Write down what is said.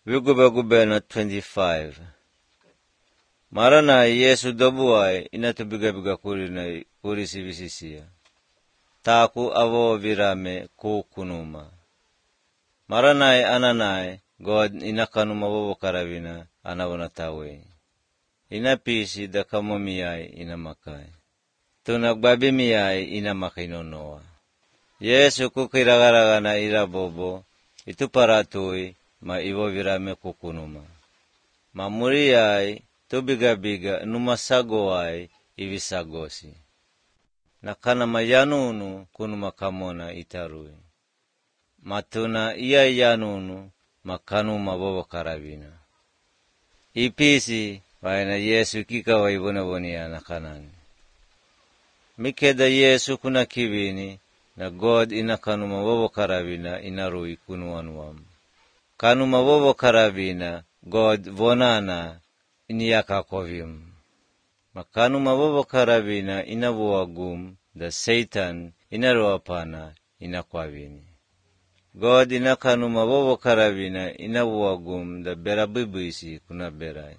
Vigube na 25. Mara na Yesu dobuai inatubigabiga kuri sivisisia. Taku avo virame kukunuma. Mara na ananai God inakanuma vovo karavina anavonatawe. Inapisi da kamomiyai inamakai. Tunagbabimiyai inamakainonoa. Yesu kukiragaragana irabobo ituparatui ma ivo virame kukunuma. Mamuriyai tubigabiga numasagoai ivisagosi. Nakana mayanunu kunuma kamona itarui. Matuna iya yanunu makanuma vovo karavina. Ipisi vaina Yesu kikawa ivonavonia nakanani. Mikeda Yesu kuna kivini na God inakanuma vovo karavina inarui kunuanuam. Kanuma vovo karavina God vonana iniyakakovim. Makanuma vovo karavina inavuagum da Satan inaruapana inakwavini. God inakanuma vovo karavina inavuagum da berabibisi kuna berai.